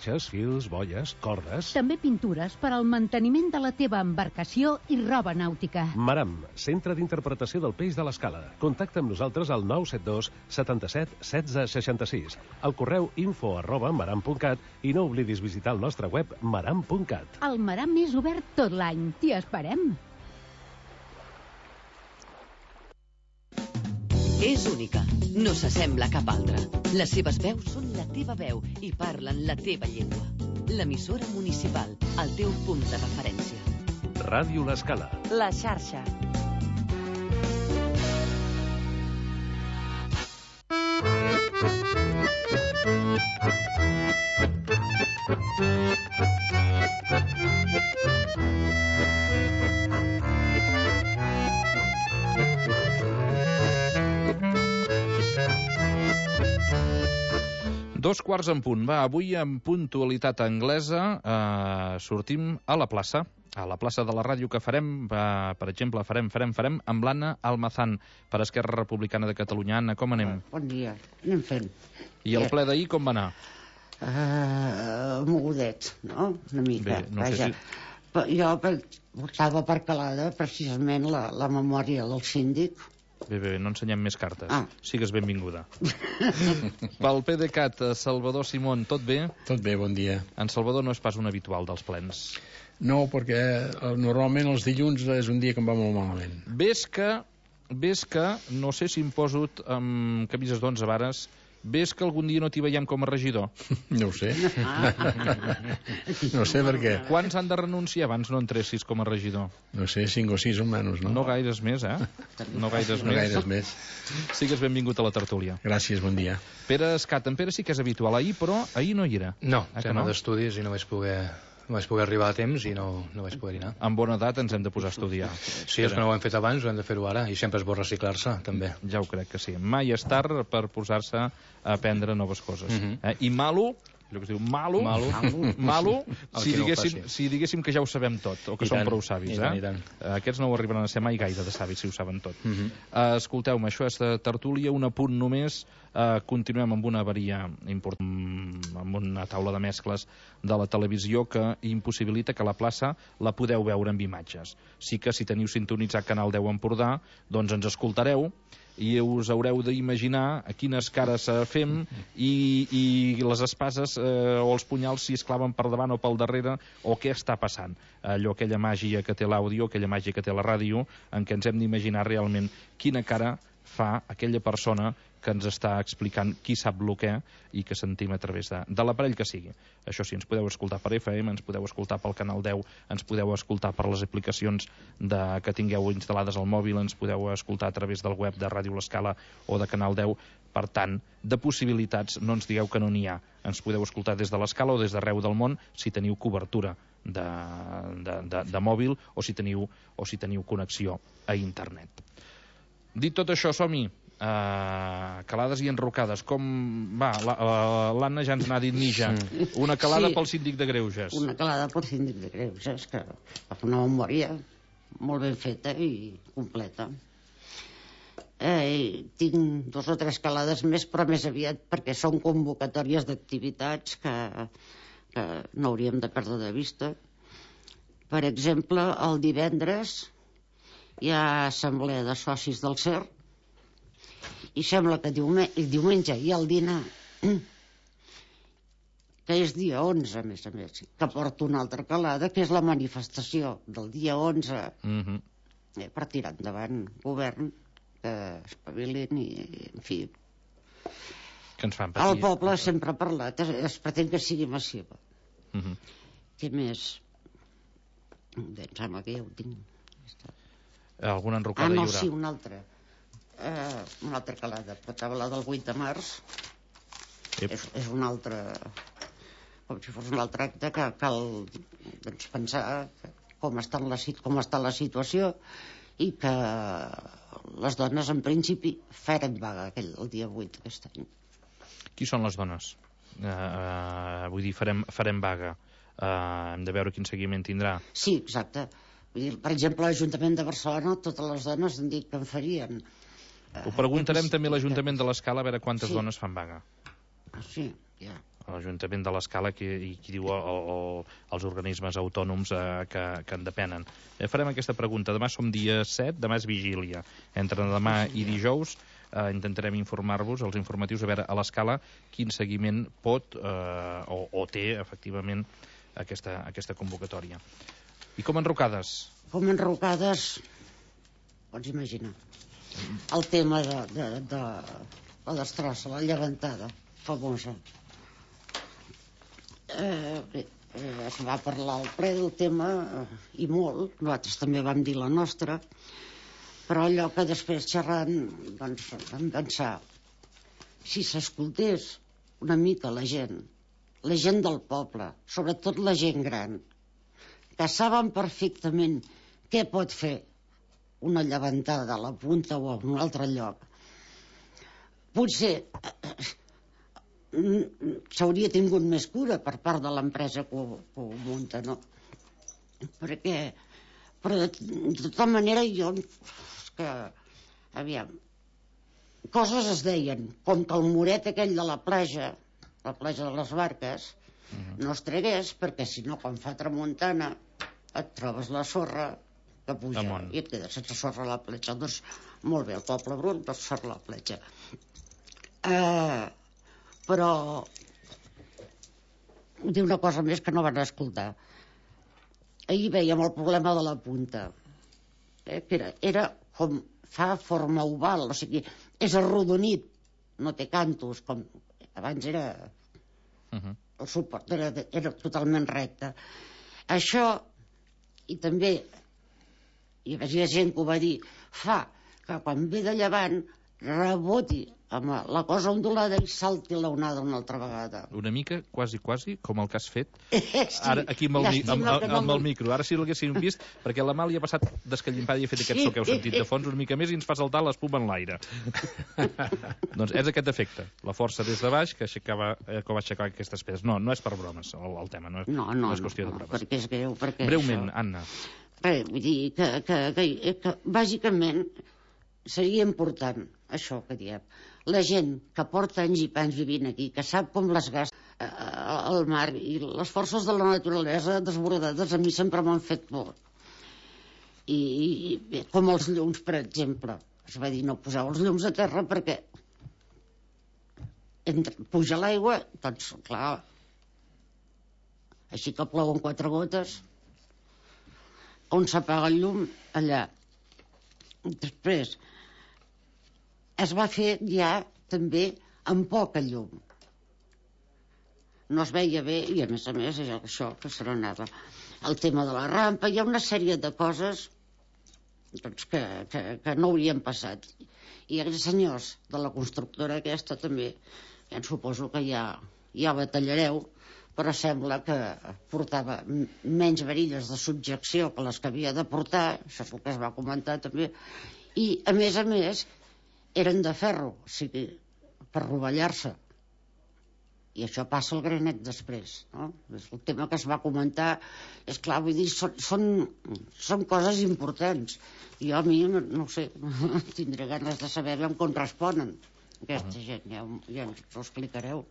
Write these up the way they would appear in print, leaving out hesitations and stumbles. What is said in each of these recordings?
perxes, fils, boies, cordes... També pintures per al manteniment de la teva embarcació i roba nàutica. Maram, centre d'interpretació del peix de l'Escala. Contacta amb nosaltres al 972 77 16 66, al correu info@maram.cat i no oblidis visitar el nostre web maram.cat. El Maram és obert tot l'any. T'hi esperem. És única, no s'assembla a cap altra. Les seves veus són la teva veu i parlen la teva llengua. L'emissora municipal, el teu punt de referència. Ràdio L'Escala. La xarxa. Dos quarts en punt. Va, avui en puntualitat anglesa sortim a la plaça de la ràdio que farem, per exemple, farem amb l'Anna Almazán per Esquerra Republicana de Catalunya. Anna, com anem? Bon dia, anem fent. I el ple d'ahir com va anar? Mogudet, no? Una mica. Bé, no sé si... Jo portava per calada precisament la memòria del síndic. Bé, no ensenyem més cartes. Sigues benvinguda. Pel PDeCAT, Salvador Simón, tot bé? Tot bé, bon dia. En Salvador no és pas un habitual dels plens. No, perquè normalment els dilluns és un dia que em va molt malament. Ves que, no sé si em poso amb camises d'11 vares, ves que algun dia no t'hi veiem com a regidor? No ho sé. No sé per què. Quants han de renunciar abans no entressis com a regidor? No sé, 5 o 6 o menys, no? No gaires més, eh? No gaires més. Sigues benvingut a la tertúlia. Gràcies, bon dia. Pere Escat, en Pere sí que és habitual ahir, però ahir no hi era. No, tema d'estudis i no vaig poder arribar a temps i no vaig poder anar. Amb bona edat ens hem de posar a estudiar. Sí, és que no ho hem fet abans, ho hem de fer-ho ara, i sempre és bo reciclar-se, també. Ja ho crec que sí. Mai és tard per posar-se a aprendre noves coses. I malo, allò que es diu malo, si diguéssim que ja ho sabem tot, o que som prou savis. Aquests no ho arribaran a ser mai gaire de savis, si ho saben tot. Escolteu-me, això és de tertúlia, un apunt només. Continuem amb una avaria important, amb una taula de mescles de la televisió que impossibilita que la plaça la podeu veure amb imatges. Sí que si teniu sintonitzat Canal 10 Empordà, doncs ens escoltareu i us haureu d'imaginar a quines cares fem i les espases o els punyals si es claven per davant o pel darrere o què està passant. Aquella màgia que té l'àudio, aquella màgia que té la ràdio, en què ens hem d'imaginar realment quina cara fa aquella persona que ens està explicant qui sap el què i que sentim a través de l'aparell que sigui. Això sí, ens podeu escoltar per FM, ens podeu escoltar pel Canal 10, ens podeu escoltar per les aplicacions que tingueu instal·lades al mòbil, ens podeu escoltar a través del web de Ràdio L'Escala o de Canal 10. Per tant, de possibilitats no ens digueu que no n'hi ha. Ens podeu escoltar des de l'Escala o des d'arreu del món si teniu cobertura de mòbil o si teniu connexió a internet. Dit tot això, som-hi. Calades i enrocades. Com va? L'Anna ja ens n'ha dit mitja. Una calada pel síndic de Greuges. Una calada pel síndic de Greuges, que fa una memòria molt ben feta i completa. Tinc 2 o 3 calades més, però més aviat perquè són convocatòries d'activitats que no hauríem de perdre de vista. Per exemple, el divendres hi ha assemblea de socis del CER i sembla que diumenge hi ha el dinar, que és dia 11, a més, que porta una altra calada, que és la manifestació del dia 11 per tirar endavant govern, que espavilin i, en fi, que ens fan patir. El poble sempre ha parlat, es pretén que sigui massiva. Què més? Em sembla que ja ho tinc. Alguna enrocada hi haurà? Sí, una altra calada, però la del 8 de març és una altra, com si fos un altre acte que cal pensar com està la situació i que les dones en principi farem vaga el dia 8 d'aquest any. Qui són les dones? Vull dir, farem vaga. Hem de veure quin seguiment tindrà. Sí, exacte. Per exemple, l'Ajuntament de Barcelona, totes les dones han dit que en farien. Ho preguntarem també a l'Ajuntament de l'Escala a veure quantes dones fan vaga. Sí, ja. l'Ajuntament de l'Escala i qui diu els organismes autònoms que en depenen. Farem aquesta pregunta. Demà som dia 7, demà és vigília. Entre demà i dijous intentarem informar-vos, els informatius, a veure a l'Escala quin seguiment pot o té, efectivament, aquesta convocatòria. I com enrocades? Com enrocades, pots imaginar. El tema de la destrossa, la llevantada famosa. Es va parlar al ple del tema i molt, nosaltres també vam dir la nostra, però allò que després xerrant doncs, vam pensar, si s'escoltés una mica la gent del poble, sobretot la gent gran, que saben perfectament què pot fer una llevantada a la punta o a un altre lloc, potser s'hauria tingut més cura per part de l'empresa que ho munta, no? Però de tota manera jo que, aviam, coses es deien, com que el muret aquell de la platja de les Barques, no es tregués, perquè si no, quan fa tramuntana, et trobes la sorra que puja i et quedes sense sorra a la platja. Doncs, molt bé, el poble brut, doncs sorra a la platja. Però dir una cosa més que no van escoltar. Ahir veiem el problema de la punta, que era com fa forma oval, o sigui, és arrodonit, no té cantos, com abans era el suport, era totalment recte. Això, i també hi havia gent que ho va dir, fa que quan ve de llevant reboti amb la cosa ondulada i salti l'onada una altra vegada. Una mica, quasi, com el que has fet ara aquí amb el micro. Ara sí l'haguéssim vist, perquè la Màlia ha passat d'escallimpada i ha fet aquest so que heu sentit de fons una mica més i ens fa saltar l'espuma en l'aire. Doncs és aquest efecte, la força des de baix que va aixecar aquestes pedres. No és per bromes el tema, no és qüestió de bromes. Perquè és greu. Breument, Anna. Vull dir que bàsicament seria important això que diem. La gent que porta anys i panys vivint aquí, que sap com les gasta el mar i les forces de la naturalesa desbordades, a mi sempre m'han fet por. I com els llums, per exemple. Es va dir, no poseu els llums a terra perquè puja l'aigua, doncs, clar, així que plouen 4 gotes, on s'apaga el llum, allà. Després, es va fer ja també amb poca llum. No es veia bé i a més és això que se n'anava. El tema de la rampa, hi ha una sèrie de coses doncs, que no haurien passat. I els senyors de la constructora aquesta també, ja suposo que ja batallareu, però sembla que portava menys varilles de subjecció que les que havia de portar, això és el que es va comentar també, i a més eren de ferro, o sigui, per rovellar-se. I això passa al granet després, no? És el tema que es va comentar. És clar, vull dir, són coses importants. Jo a mi, no ho sé, tindré ganes de saber com responen aquesta gent, ja ens ho explicareu.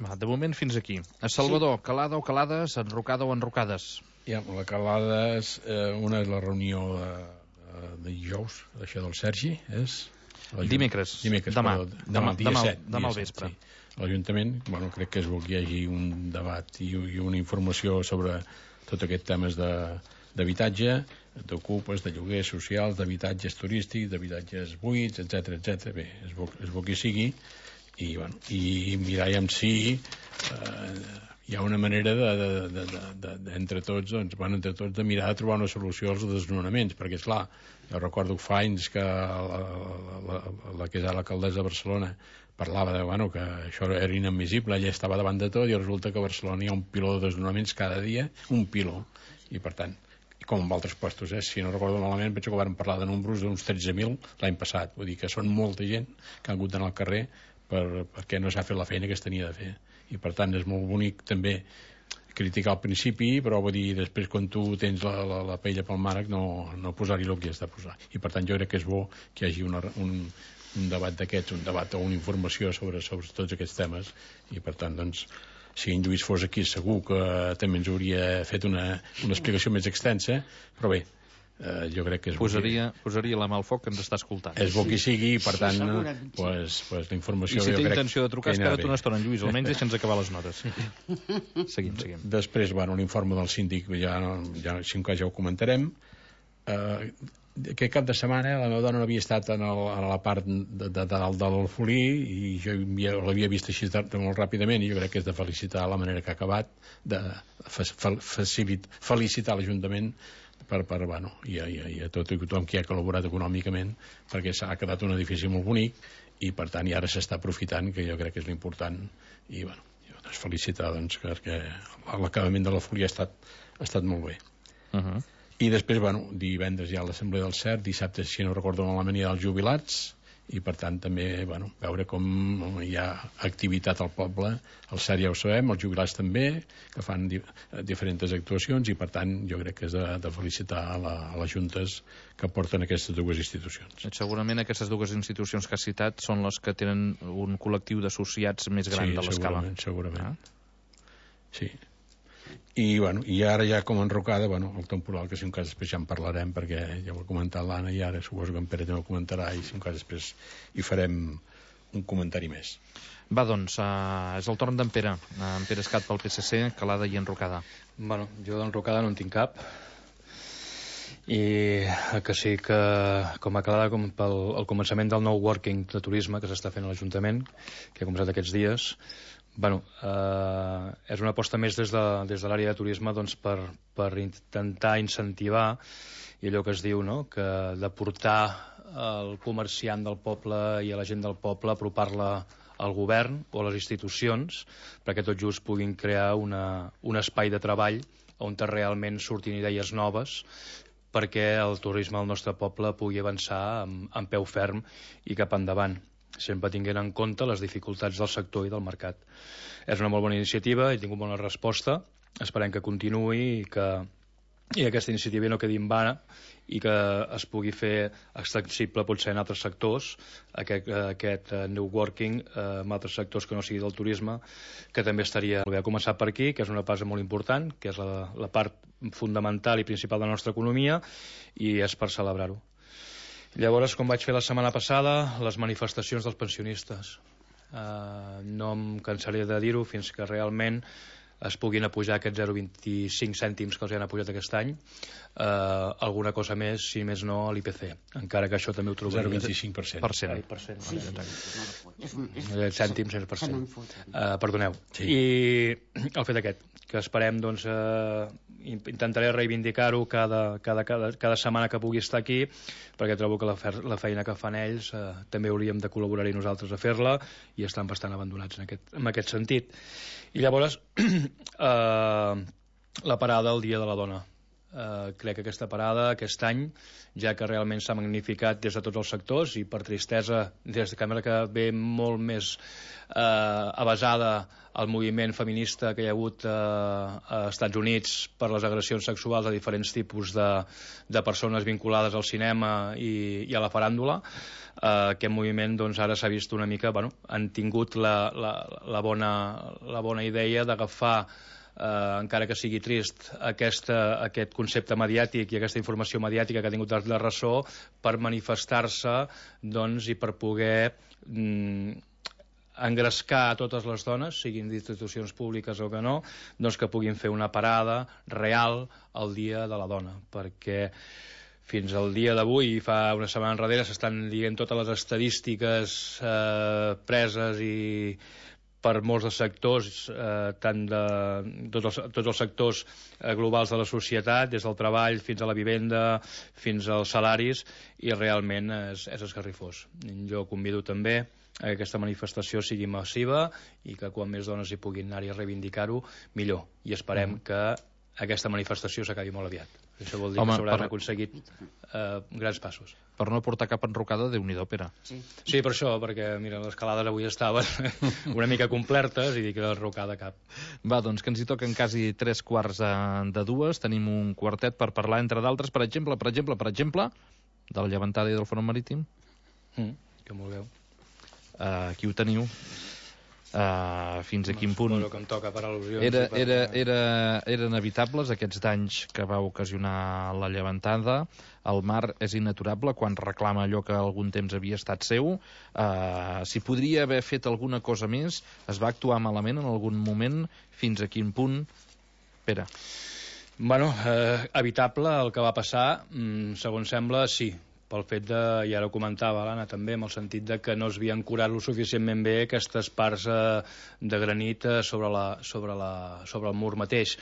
De moment fins aquí. A Salvador, calada o calades, enrocada o enrocades? Ja, la calada és una és la reunió de dijous, això del Sergi, és... Dimecres, demà al vespre. L'Ajuntament, crec que és bo que hi hagi un debat i una informació sobre tot aquest temes d'habitatge, d'ocupes, de lloguers socials, d'habitatges turístics, d'habitatges buits, etc. Bé, és bo que hi sigui i mirar si hi ha una manera entre tots de mirar de trobar una solució als desnonaments, perquè esclar, jo recordo fa anys que la que és l'alcaldessa de Barcelona parlava que això era inadmissible, ella estava davant de tot i resulta que a Barcelona hi ha un piló de desnonaments cada dia, un piló, i per tant, com en altres puestos, si no recordo malament, penso que vam parlar de números d'uns 13.000 l'any passat, vull dir que són molta gent que han hagut d'anar al carrer perquè no s'ha fet la feina que es tenia de fer, i per tant és molt bonic també criticar al principi, però vull dir, després quan tu tens la pella pel mànec no posar-hi el que has de posar, i per tant jo crec que és bo que hi hagi un debat d'aquests, un debat o una informació sobre tots aquests temes, i per tant doncs si en Lluís fos aquí segur que també ens hauria fet una explicació més extensa, però bé, jo crec que és posaria la mà al foc que ens està escoltant. És bo que sigui, i per tant pues, la informació... I si té intenció de trucar, espera't una estona, en Lluís, almenys deixa'ns acabar les notes. Seguim. Després, l'informe del síndic ja ja ho comentarem. Aquest cap de setmana la meva dona no havia estat a la part de dalt del Folí, i jo l'havia vist així molt ràpidament, i jo crec que és de felicitar la manera que ha acabat, de felicitar l'Ajuntament i a tothom qui ha col·laborat econòmicament, perquè s'ha quedat un edifici molt bonic, i per tant ara s'està aprofitant, que jo crec que és l'important, i felicitar perquè l'acabament de la Folia ha estat molt bé. I després, divendres hi ha l'Assemblea del CERT, dissabte, si no recordo malament, hi ha els jubilats, i per tant també veure com hi ha activitat al poble. El CERT ja ho sabem, els jubilats també, que fan diferents actuacions, i per tant jo crec que és de felicitar a les juntes que porten aquestes dues institucions. Segurament aquestes dues institucions que has citat són les que tenen un col·lectiu d'associats més gran de l'escala. Segurament. Sí. I ara ja com enrocada, el temporal, que si un cas després ja en parlarem, perquè ja ho ha comentat l'Anna, i ara suposo que en Pere també ho comentarà, i si un cas després hi farem un comentari més. Va, doncs, és el torn d'en Pere. En Pere Escat pel PSC, Calada i enrocada. Jo d'enrocada no en tinc cap, i que sí que com a Calada, com pel començament del nou working de turisme que s'està fent a l'Ajuntament, que ha començat aquests dies, és una aposta més des de l'àrea de turisme per intentar incentivar, i allò que es diu, que de portar el comerciant del poble i a la gent del poble, apropar-la al govern o a les institucions, perquè tot just puguin crear un espai de treball on realment surtin idees noves, perquè el turisme al nostre poble pugui avançar amb peu ferm i cap endavant, sempre tinguent en compte les dificultats del sector i del mercat. És una molt bona iniciativa, he tingut bona resposta, esperem que continuï i aquesta iniciativa no quedi en vana, i que es pugui fer extensible potser en altres sectors, aquest new working en altres sectors que no sigui del turisme, que també estaria molt bé. Ha començat per aquí, que és una base molt important, que és la part fundamental i principal de la nostra economia, i és per celebrar-ho. Llavors, com vaig fer la setmana passada, les manifestacions dels pensionistes. No em cansaré de dir-ho fins que realment es puguin apujar aquests 0,25 cèntims que els han apujat aquest any, alguna cosa més, si més no, a l'IPC, encara que això també ho trobaria... 0,25%. Cèntims, 100%. Perdoneu. I el fet aquest, que esperem, intentaré reivindicar-ho cada setmana que pugui estar aquí, perquè trobo que la feina que fan ells també hauríem de col·laborar-hi nosaltres a fer-la, i estan bastant abandonats en aquest sentit. I llavors, la parada el Dia de la Dona. Crec que aquesta parada, aquest any, ja que realment s'ha magnificat des de tots els sectors, i per tristesa, des de càmera que ve molt més avasada al moviment feminista que hi ha hagut a Estats Units per les agressions sexuals a diferents tipus de persones vinculades al cinema i a la faràndula. Aquest moviment ara s'ha vist una mica, han tingut la bona idea d'agafar, encara que sigui trist, aquest concepte mediàtic i aquesta informació mediàtica que ha tingut la ressò per manifestar-se i per poder engrescar a totes les dones, siguin d'institucions públiques o que no, que puguin fer una parada real el Dia de la Dona, perquè fins al dia d'avui, fa una setmana enrere, s'estan dient totes les estadístiques preses i per molts dels sectors, tant de tots els sectors globals de la societat, des del treball fins a la vivenda, fins als salaris, i realment és esgarrifós. Jo convido també que aquesta manifestació sigui massiva i que quan més dones hi puguin anar-hi a reivindicar-ho, millor. I esperem que aquesta manifestació s'acabi molt aviat. Això vol dir que s'hauran aconseguit grans passos. Per no portar cap enrocada, Déu-n'hi-do, Pere. Sí, per això, perquè mira, les calades avui estaven una mica complertes i dic que enrocada cap. Va, doncs que ens hi toquen quasi 3:45. Tenim un quartet per parlar, entre d'altres, per exemple, de la llevantada i del front marítim. Que vulgueu. Aquí ho teniu. fins a quin punt eren evitables aquests danys que va ocasionar la llevantada. El mar és inaturable quan reclama allò que algun temps havia estat seu. Si podria haver fet alguna cosa més, es va actuar malament en algun moment, fins a quin punt? Pere. Bueno, evitable el que va passar, segons sembla, sí, pel fet de, i ara ho comentava l'Anna també, amb el sentit de que no es havien curat lo suficientment bé aquestes parts de granit sobre el mur mateix.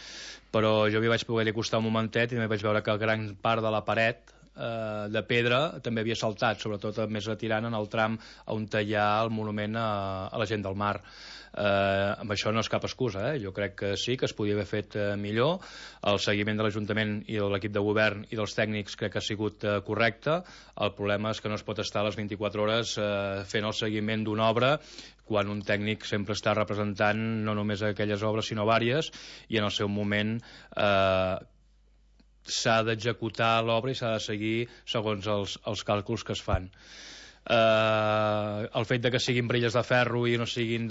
Però jo m'hi vaig poder acostar un momentet i també vaig veure que gran part de la paret de pedra també havia saltat, sobretot més retirant en el tram on hi ha el monument a la gent del mar. Amb això no és cap excusa, jo crec que sí, que es podia haver fet millor. El seguiment de l'Ajuntament i de l'equip de govern i dels tècnics crec que ha sigut correcte. El problema és que no es pot estar a les 24 hores fent el seguiment d'una obra quan un tècnic sempre està representant no només aquelles obres sinó vàries, i en el seu moment s'ha d'executar l'obra i s'ha de seguir segons els càlculs que es fan. El fet de que siguin brelles de ferro i no siguin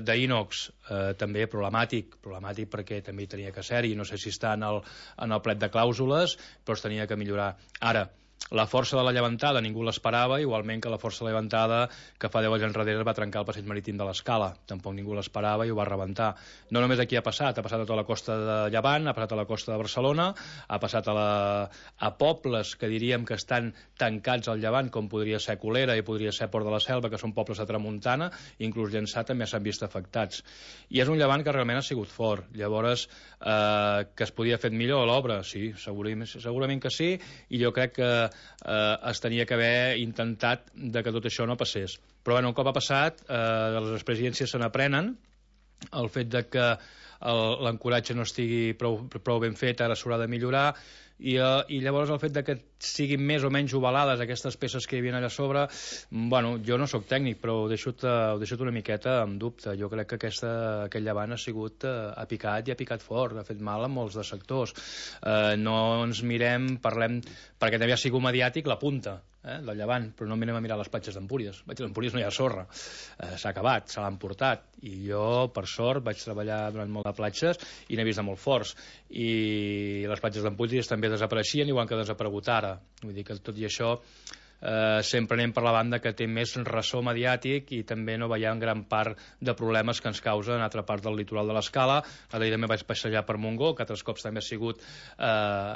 d'ínox també problemàtic perquè també hi tenia que ser-hi, no sé si està en el plet de clàusules, però es tenia que millorar. Ara, la força de la llevantada ningú l'esperava, igualment que la força de la llevantada que fa 10 anys enrere va trencar el passeig marítim de l'Escala, tampoc ningú l'esperava i ho va rebentar. No només aquí ha passat a tota la costa de Llevant, ha passat a la costa de Barcelona, ha passat a pobles que diríem que estan tancats al Llevant, com podria ser Colera i podria ser Port de la Selva, que són pobles de tramuntana, inclús Llançà també s'han vist afectats. I és un Llevant que realment ha sigut fort. Llavors, que es podia fer millor l'obra? Sí, segurament que sí, i jo crec que es tenia que haver intentat de que tot això no passés. Però bueno, un cop ha passat, de les experiències se n'aprenen. El fet de que l'ancoratge no estigui prou ben fet ara s'haurà de millorar, i llavors el fet de que siguin més o menys ovalades aquestes peces que hi havia allà a sobre, bueno, jo no sóc tècnic, però ho deixo una miqueta en dubte. Jo crec que aquest Llevant ha picat i ha picat fort, ha fet mal a molts de sectors. No ens mirem, parlem, perquè també ha sigut mediàtic la punta del Llevant, però no mirem a mirar les platges d'Empúries. A Empúries no hi ha sorra, s'ha acabat, se l'han portat, i jo, per sort, vaig treballar durant molt de platges i n'he vist de molt forts, i les platges d'Empúries també desapareixien, igual que ha desaparegut ara. Vull dir que tot i això sempre anem per la banda que té més ressò mediàtic i també no veiem gran part de problemes que ens causa en altra part del litoral de l'Escala. Ara també vaig passejar per Montgó, que altres cops també ha sigut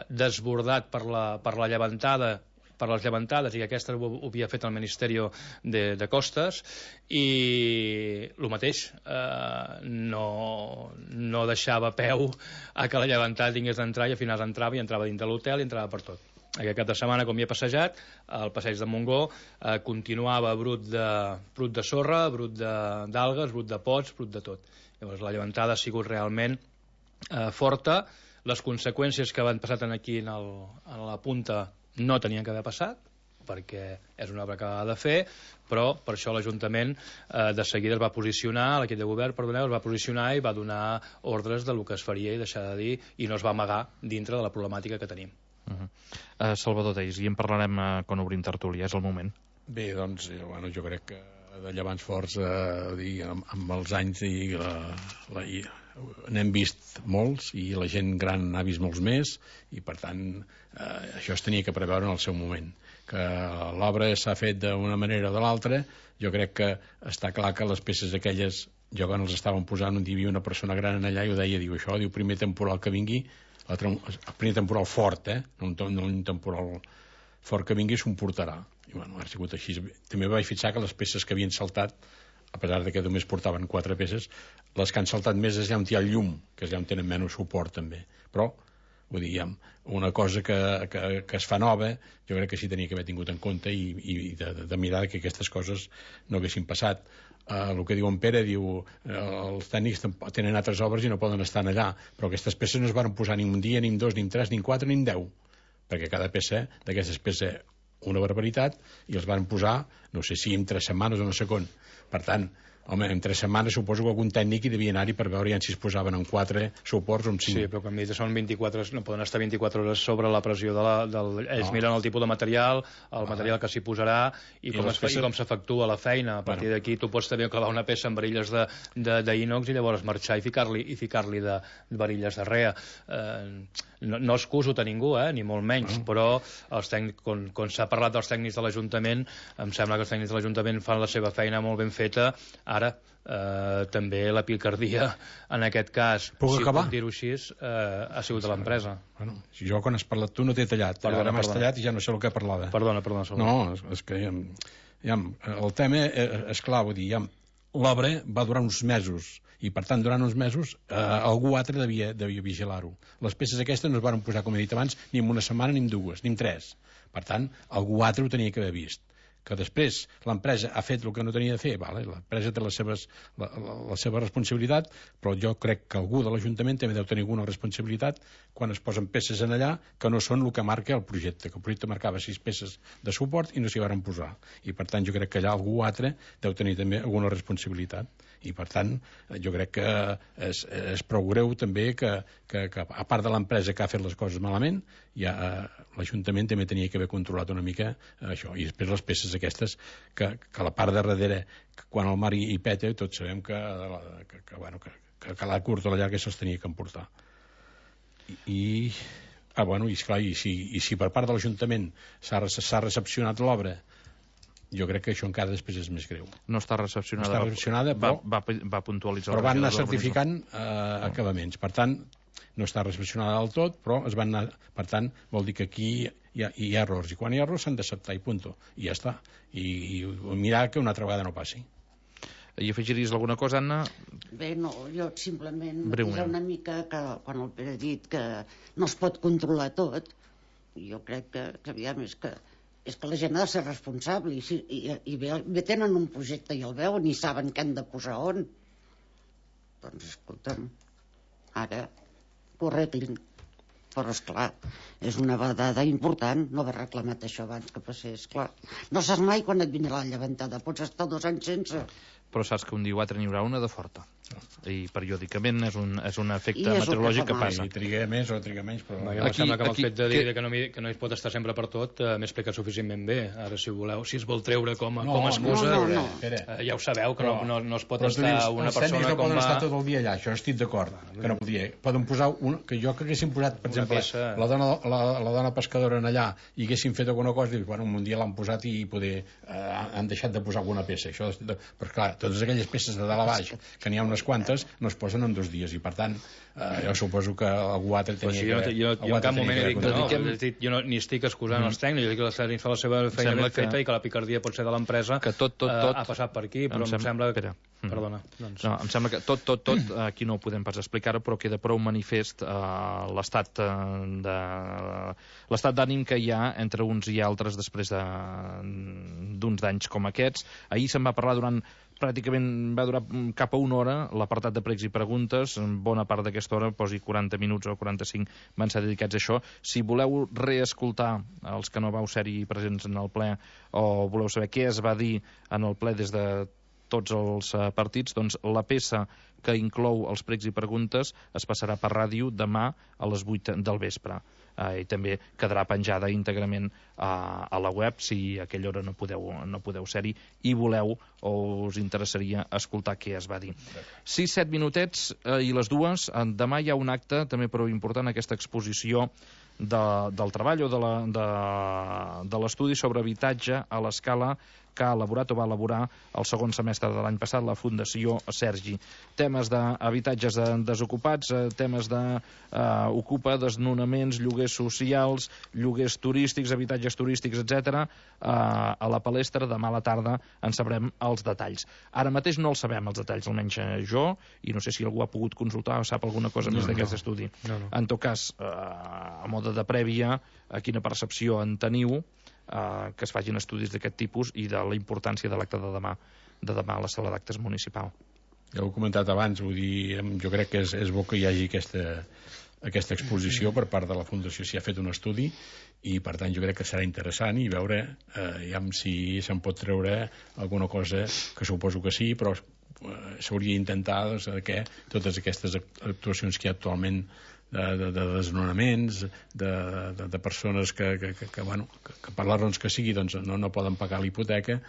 desbordat per la llevantada, per les llevantades, i aquesta ho havia fet el Ministeri de Costes, i el mateix, no deixava peu a que la llevantada tingués d'entrar, i al final entrava dins de l'hotel i entrava per tot. Aquest cap de setmana, com hi he passejat, el passeig de Montgó continuava brut de sorra, brut d'algues, brut de pots, brut de tot. Llavors la llevantada ha sigut realment forta. Les conseqüències que van passar aquí a la punta no tenien que haver passat, perquè és una obra que ha de fer, però per això l'Ajuntament de seguida es va posicionar, l'equip de govern, es va posicionar i va donar ordres del que es faria i deixar de dir, i no es va amagar dintre de la problemàtica que tenim. Salvador Teis, i en parlarem quan obrim tertúlia, és el moment. Bé, doncs, jo crec que de Llevants forts, amb els anys n'hem vist molts, i la gent gran n'ha vist molts més, i per tant això es tenia que preveure en el seu moment. Que l'obra s'ha fet d'una manera o de l'altra, jo crec que està clar que les peces aquelles, jo quan els estaven posant, hi havia una persona gran allà i ho deia, diu això, diu, primer temporal que vingui, el primer temporal fort, no un temporal fort que vingui, s'ho portarà. I bueno, ha sigut així. També vaig fixar que les peces que havien saltat, a pesar de que només portaven 4 peces, les que han saltat més és allà on hi ha el llum, que és allà on tenen menys suport també. Però, vull dir, una cosa que es fa nova, jo crec que sí tenia que haver tingut en compte i de mirar que aquestes coses no haguessin passat. El que diu en Pere, diu els tècnics tenen altres obres i no poden estar allà, però aquestes peces no es van posar ni un dia, ni en 2, ni en 3, ni en 4, ni en 10, perquè cada peça d'aquestes pesa una barbaritat, i els van posar, no sé si en 3 setmanes o no sé quan. Per tant, Home, en 3 setmanes suposo que algun tècnic hi devia anar-hi per veure si es posaven en 4 suports o en 5. Sí, però com dit, són 24, no poden estar 24 hores sobre la pressió ells miren el tipus de material, el material que s'hi posarà i com s'efectua la feina. A partir d'aquí tu pots també clavar una peça amb varilles d'inox i llavors marxar i ficar-li de varilles de rea. No excuso a ningú, ni molt menys, però quan s'ha parlat dels tècnics de l'Ajuntament, em sembla que els tècnics de l'Ajuntament fan la seva feina molt ben feta. Ara, també la picardia, en aquest cas, si puc dir-ho així, ha sigut de l'empresa. Si jo, quan has parlat tu, no t'he tallat. Ara m'has tallat i ja no sé el que parlava. Perdona. No, és que el tema és clar, vull dir, l'obra va durar uns mesos i, per tant, durant uns mesos algú altre devia vigilar-ho. Les peces aquestes no es van posar, com he dit abans, ni en una setmana, ni en 2, ni en 3. Per tant, algú altre ho tenia que haver vist. Que després l'empresa ha fet el que no tenia de fer, l'empresa té la seva responsabilitat, però jo crec que algú de l'Ajuntament també deu tenir alguna responsabilitat quan es posen peces en allà que no són el que marca el projecte, que el projecte marcava 6 peces de suport i no s'hi van posar. I per tant jo crec que allà algú altre deu tenir també alguna responsabilitat. I per tant jo crec que és prou greu també que a part de l'empresa que ha fet les coses malament, l'Ajuntament també tenia que haver controlat una mica això. I després les peces aquestes que la part de darrere, quan el mar hi peta, tots sabem que a la curta o a la llarga se'ls tenia que emportar. I si per part de l'Ajuntament s'ha recepcionat l'obra, jo crec que això encara després és més greu. No està recepcionada, però va puntualitzar. Però van anar certificant acabaments. Per tant, no està recepcionada del tot, però es van anar... Per tant, vol dir que aquí hi ha errors. I quan hi ha errors s'han d'acceptar i punt. I ja està. I mirar que una altra vegada no passi. I afegiries alguna cosa, Anna? Bé, no, jo simplement matisar una mica que quan el Pere ha dit que no es pot controlar tot, jo crec que aviam és que la gent ha de ser responsable i bé tenen un projecte i el veuen i saben què han de posar on. Doncs escolta'm, ara que ho arreglin. Però esclar, és una dada important no haver reclamat això abans que passés, clar. No saps mai quan et vindrà la llevantada, pots estar 2 anys sense. Però saps que un dia o altre n'hi haurà una de forta. I periòdicament és un efecte meteorològic que passa. I triga més o triga menys, però... Em sembla que amb el fet de dir que no es pot estar sempre per tot m'he explicat suficientment bé. Ara, si voleu, si es vol treure com a excusa, ja ho sabeu, que no es pot estar una persona com va... Els tècnics no poden estar tot el dia allà, això estic d'acord, que no podia. Poden posar que jo que haguessin posat, per exemple, la dona pescadora en allà i haguessin fet alguna cosa, i bueno, un dia l'han posat i han deixat de posar alguna peça. Però clar, totes aquelles peces de dalt a baix, que n'hi ha unes quantes, no es posen en 2 dies i per tant jo suposo que algú altre tenia que... Jo en cap moment he dit jo ni estic excusant els tècnics, jo dic que els tècnics fan la seva feina ben feta i que la picardia pot ser de l'empresa que tot ha passat per aquí, però em sembla que... Perdona. Em sembla que tot aquí no ho podem pas explicar-ho, però queda prou manifest l'estat d'ànim que hi ha entre uns i altres després d'uns danys com aquests. Ahir se'n va parlar pràcticament va durar cap a 1 hora l'apartat de pregs i preguntes. Bona part d'aquesta hora, posi 40 minuts o 45, van ser dedicats a això. Si voleu reescoltar els que no vau ser-hi presents en el ple o voleu saber què es va dir en el ple des de tots els partits, doncs la peça que inclou els pregs i preguntes es passarà per ràdio demà a les 8 del vespre. I també quedarà penjada íntegrament a la web si a aquella hora no podeu ser-hi i voleu o us interessaria escoltar què es va dir. 6-7 minutets i les 2. Demà hi ha un acte també prou important, aquesta exposició del treball o de l'estudi sobre habitatge a l'escala que ha elaborat o va elaborar el segon semestre de l'any passat la Fundació Sergi. Temes d'habitatges desocupats, temes d'ocupa, desnonaments, lloguers socials, lloguers turístics, habitatges turístics, etc. A la palestra demà a la tarda en sabrem els detalls. Ara mateix no els sabem els detalls, almenys jo, i no sé si algú ha pogut consultar o sap alguna cosa més d'aquest estudi. En tot cas, a mode de prèvia, quina percepció en teniu que es facin estudis d'aquest tipus i de la importància de l'acte de demà a la sala d'actes municipal. Ja ho he comentat abans, vull dir, jo crec que és bo que hi hagi aquesta exposició per part de la Fundació, si ha fet un estudi, i per tant jo crec que serà interessant i veure si se'n pot treure alguna cosa, que suposo que sí, però s'hauria d'intentar que totes aquestes actuacions que hi ha actualment de desnonaments, de persones que per les raons que sigui no poden pagar la hipoteca,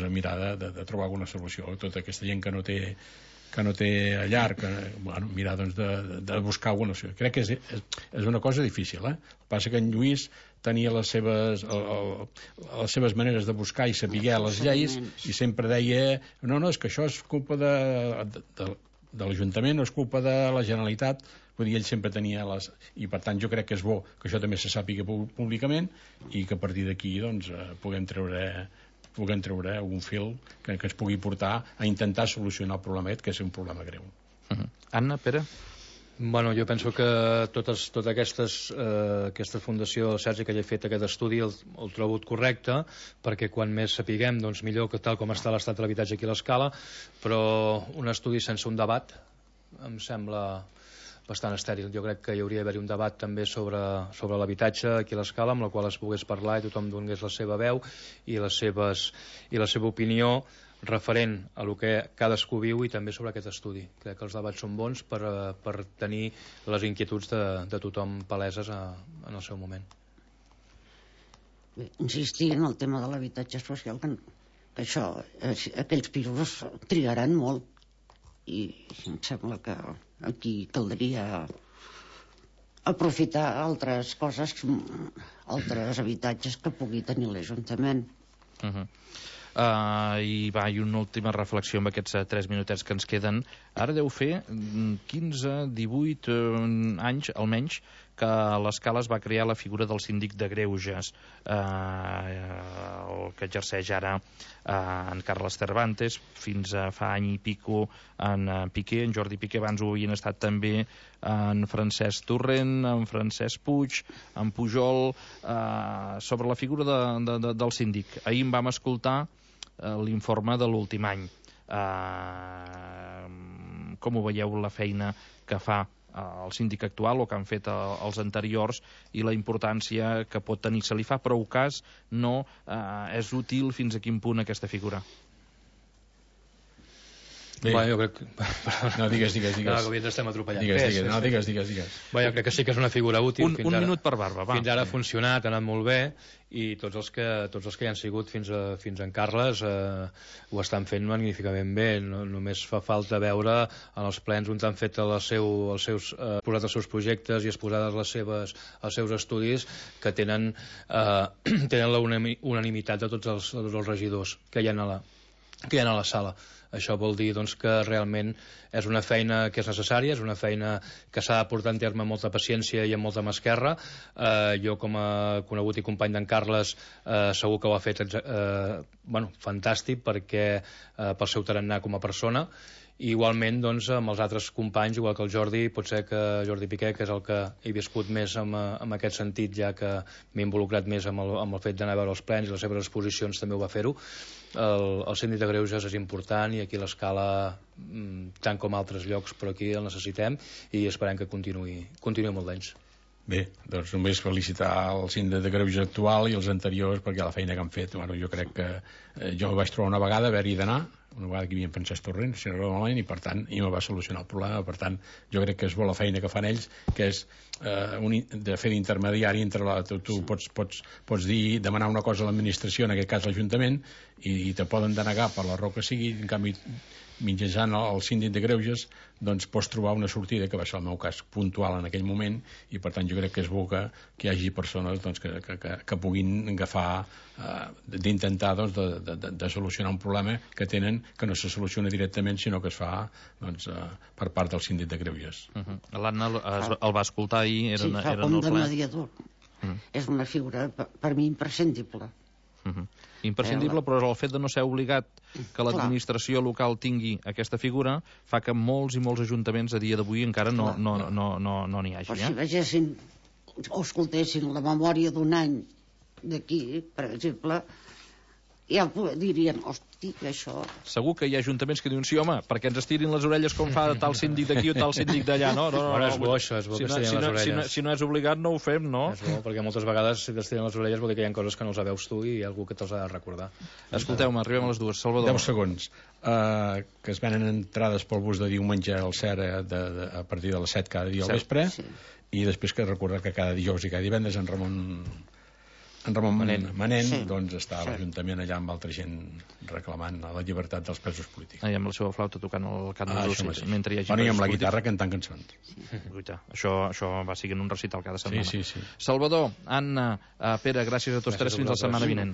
mirar de trobar alguna solució. Tota aquesta gent que no té llar, mirar de buscar alguna solució. Crec que és una cosa difícil. El que passa que en Lluís tenia les seves maneres de buscar i saber les lleis, i sempre deia no, és que això és culpa de l'Ajuntament, no és culpa de la Generalitat. Vull dir, ell sempre tenia i per tant jo crec que és bo que això també se sàpiga públicament i que a partir d'aquí puguem treure un fil que ens pugui portar a intentar solucionar el problema que és un problema greu. Anna, Pere? Bueno, jo penso que tota aquesta fundació, Sergi, que hagi fet aquest estudi el trobo correcte, perquè quan més sapiguem, doncs millor, que tal com està l'estat de l'habitatge aquí a l'Escala, però un estudi sense un debat em sembla bastant estèril. Jo crec que hi hauria d'haver un debat també sobre l'habitatge aquí a l'Escala, amb la qual es pogués parlar i tothom donés la seva veu i la seva opinió referent a el que cadascú viu i també sobre aquest estudi. Crec que els debats són bons per tenir les inquietuds de tothom paleses en el seu moment. Bé, insistir en el tema de l'habitatge social, que això, aquells pisos trigaran molt i em sembla que aquí caldria aprofitar altres coses, altres habitatges que pugui tenir l'Ajuntament. I una última reflexió amb aquests 3 minutets que ens queden. Ara deu fer 15, 18 anys almenys que a l'Escala es va crear la figura del síndic de greuges, el que exerceix ara en Carles Cervantes, fins a fa any i pico en Piqué, en Jordi Piqué. Abans ho havien estat també en Francesc Torrent, en Francesc Puig, en Pujol, sobre la figura del síndic. Ahir en vam escoltar l'informe de l'últim any. Com ho veieu, la feina que fa el síndic actual o que han fet els anteriors i la importància que pot tenir? Se li fa prou cas? No? És útil? Fins a quin punt aquesta figura? Bé, jo crec... No, digues. No, que ens estem atropellant. Digues. Bé, jo crec que sí que és una figura útil. Un minut per barba, va. Fins ara ha funcionat, ha anat molt bé, i tots els que hi han sigut fins en Carles ho estan fent magníficament bé. Només fa falta veure en els plens on han fet posat els seus projectes i exposades els seus estudis, que tenen la unanimitat de tots els regidors que hi ha a la sala. Això vol dir que realment és una feina que és necessària, és una feina que s'ha de portar en terme amb molta paciència i amb molta mà esquerra. Jo, com a conegut i company d'en Carles, segur que ho ha fet fantàstic, perquè pel seu tarannà com a persona. I igualment amb els altres companys, igual que el Jordi, pot ser que Jordi Piqué, que és el que he viscut més en aquest sentit, ja que m'he involucrat més amb el fet d'anar a veure els plens i les seves exposicions, també ho va fer-ho. El síndic de greuges és important, i aquí a l'Escala, tant com a altres llocs, però aquí el necessitem i esperem que continuï molt d'anys. Bé, doncs només felicitar el síndic de greuges actual i els anteriors, perquè la feina que han fet, jo crec que jo vaig trobar una vegada haver-hi d'anar, una vegada que hi havia Francesc Torrent, si no malament, i per tant me va solucionar el problema. Per tant, jo crec que és bo la feina que fan ells, que és de fer d'intermediari entre tu pots dir, demanar una cosa a l'administració, en aquest cas l'Ajuntament, i te poden denegar per la raó que sigui. En canvi, mitjançant el síndic de greuges, doncs pots trobar una sortida, que va ser el meu cas puntual en aquell moment, i per tant jo crec que és bo que hi hagi persones que puguin agafar d'intentar de solucionar un problema que tenen, que no se soluciona directament, sinó que es fa per part del síndic de greuges. L'Anna el va escoltar ahir. Sí, fa com de mediador. És una figura per mi imprescindible. Imprescindible, però el fet de no ser obligat que l'administració local tingui aquesta figura fa que molts i molts ajuntaments a dia d'avui encara no n'hi hagi. Però si vegessin o escoltessin la memòria d'un any d'aquí, per exemple, ja dirien, hosti, això... Segur que hi ha ajuntaments que diuen, sí, home, perquè ens estirin les orelles com fa tal síndic d'aquí o tal síndic d'allà, no? És bo això, és bo que estirin les orelles. Si no és obligat, no ho fem, no? És bo, perquè moltes vegades si t'estiren les orelles vol dir que hi ha coses que no les veus tu i hi ha algú que te'ls ha de recordar. Escolteu-me, arribem a les 2. Salvador. 10 segons. Que es venen entrades pel bus de diumenge al CERA a partir de les 7 cada dia al vespre, i després que recordar que cada dijous i cada divendres en Ramon Manent doncs està a l'Ajuntament allà amb altra gent reclamant la llibertat dels presos polítics. I amb la seva flauta tocant el cant dels Russis, mentre hi hagi i amb la guitarra cantant cançons. Això va siguent un recital cada setmana. Sí. Salvador, Anna, Pere, gràcies a tots tres, fins la setmana vinent.